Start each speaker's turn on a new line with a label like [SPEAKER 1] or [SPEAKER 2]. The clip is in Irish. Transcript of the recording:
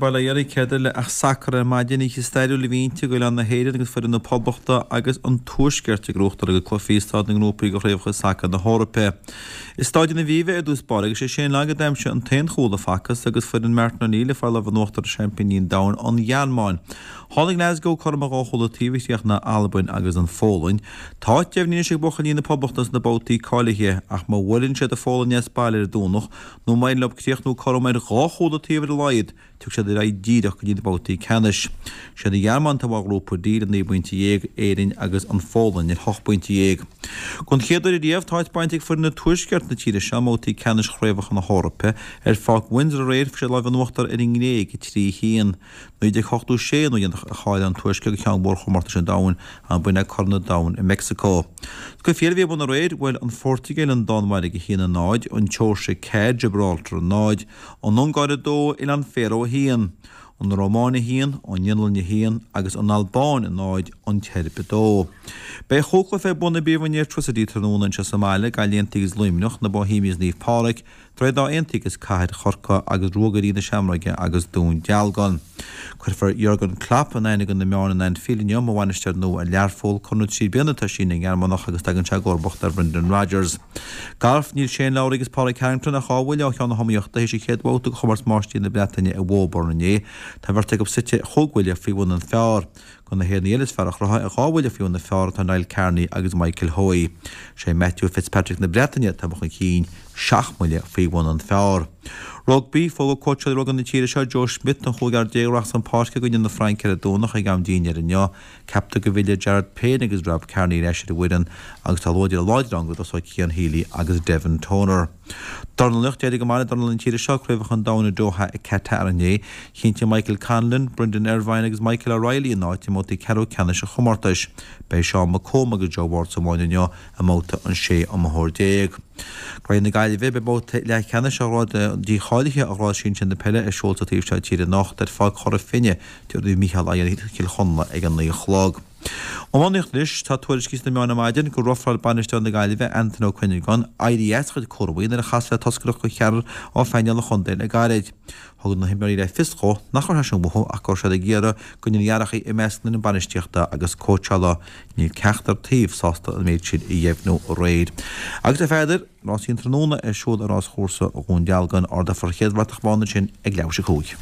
[SPEAKER 1] bail ó Dhia oraibh, céard eile ach sacar ar maidin, oíche stairiúil a bhí inti ag Oileán na hÉireann agus foireann na Poblachta agus an Tuaiscirt ag gnóthachtáil a gcuid cluichí i staid na ngrúpaí do Chraobhacha Sacair na hEorpa. I Stáid an Aviva ar dtús báire agus sé Shane Long a d'aimsigh an t-aon chúl a facthas agus foireann Martin O'Neill ag fáil lámh in uachtar ar seaimpíní an domhain, an Ghearmáin. Tháinig Glasgow cothrom ar dhá chúl an taobh a chríochnaigh Albain agus an Pholainn. Tá áit deimhnithe anois ag buachaillí na Poblachta sna babhtaí cáilithe ach má bhuaileann siad an Pholainn as baile ar an Domhnach nó má éiríonn leo críochnú cothrom ar dhá chúl an taobh ar a laghad, tiocfaidh siad ar aghaidh díreach go dtí na babhtaí ceannais. Siad an Ghearmáin atá i mbarr Ghrúpa D le 19 bpointe, Éirinn agus an Pholainn ar hocht bpointe dhéag. Don chéad uair ariamh, tá áit bainte ag foireann Tuaisceart na tíre seo i mbabhtaí ceannais Chraobhacha na hEorpa. Ar Pháirc Windsor aréir, fuair siad lámh in uachtar ar an nGréig, 3, 1. 1986 an uair dheireanach a cháiligh an Tuaisceart do cheann de mhórchomórtais an domhain, ach b'in é Corn an Domhain i Meicsiceo. Cluichí eile a bhí ar bun aréir, bhuail an Phortaingéil an Danmhairg 1, 0, an tSeoirsia 4, Gibraltar 0, an Ungáir 2, Oileáin Faeró 1, an Rómáin 1, an Fhionlainn 1 agus an Albáin 0, an tSeirbia 2. Beidh chúig chluiche ar bun i bPríomhroinn Airtricity tráthnóna anseo sa mbaile, Gaillimh Aontaithe agus Luimneach, na Bohemians Naomh Pádraig, Droichead Átha Aontaithe agus Cathair Chorcaí agus Ruagairí na Seamróige agus Dún Dealgan. Cuirfear Jurgen Klopp in aithne do na meáin in Anfield inniu mar bhainisteoir nua ar Learpholl. Conradh 3 bliana atá sínithe ag an nGearmánach agus tagann sé i gcomharbacht ar Brendan Rodgers. Galf, Níl Shane Lowry agus Pádraig Harrington ach 2 bhuille ó cheann na hiomaíochta théis an chéad bhabhta de chomórtas Máistrí na Breataine i Woburn inné. Tá an bheirt acu suite chúig bhuille faoi bhun an phar. De na hÉireannaigh eile is fearr a chruthaigh, ar 2 bhuille faoi bhun an phar atá Niall Kearney agus Michael Hoey. Sé Matthew Fitzpatrick na Breataine atá chun cinn, 7 mbuille faoi bhun an phar. Rugbaí, Fógra cóitseálaí rugbaí na tíre seo, Joe Schmidt, don chúigear a rachas chun páirce i gcoinne na Fraince ar an Domhnach ag am dinnéir inniu. Ceaptar go bhfillfidh Jared Payne agus Rob Kearney ar ais ar an bhfoireann agus tá luaidreamh láidir ann go dtosóidh Cian Healy agus Devin Toner. Dornálaíocht, D'éirigh go maith le dornálaithe na tíre seo ag Craobhacha an Domhain i Doha i Qatar inné. Chinntigh Michael Conlan, Brendan Irvine agus Michael O'Reilly a n-áit i mbabhtaí ceathrú ceannais an chomórtais. Beidh Seán McComb agus Joe Ward sa bhfáinne inniu i mbabhta an 16 iomaitheoir. I gCraobh na Gaillimhe, beidh babhta leathcheannais an ghráid dícháilithe do ghrád sinsir na peile ar siúl sa taobh seo tíre anocht ar Pháirc Chora Finne. Tabharfaidh Micheál aghaidh ar Chill Chonla ag an 9 a chlog. Iománaíocht Anois, tá tuairiscí sna meáin ar maidin gur rofráil bainisteoir na Gaillimhe, Antaine Ó Cuinneagáin, éirí as a chuid cúramaí nuair a chas le toscaireacht de cheathrar ó phainéal an chontae le gairid. Thug na himreoirí le fios dhó nach raibh sé sin uathu ach go raibh siad ag iarraidh go ndéanfaí athrachaí i measc na foireann bainistíochta agus cóitseála. Níl ceachtar taobh sásta an méid sin a dheimhniú aréir. Agus a Pheadair, rásaí an tráthnóna ar siúl ar ráschúrsa Dhún Dealgan, ardófar an chéad bhratach bhán ansin ag leathuair tar éis a 5.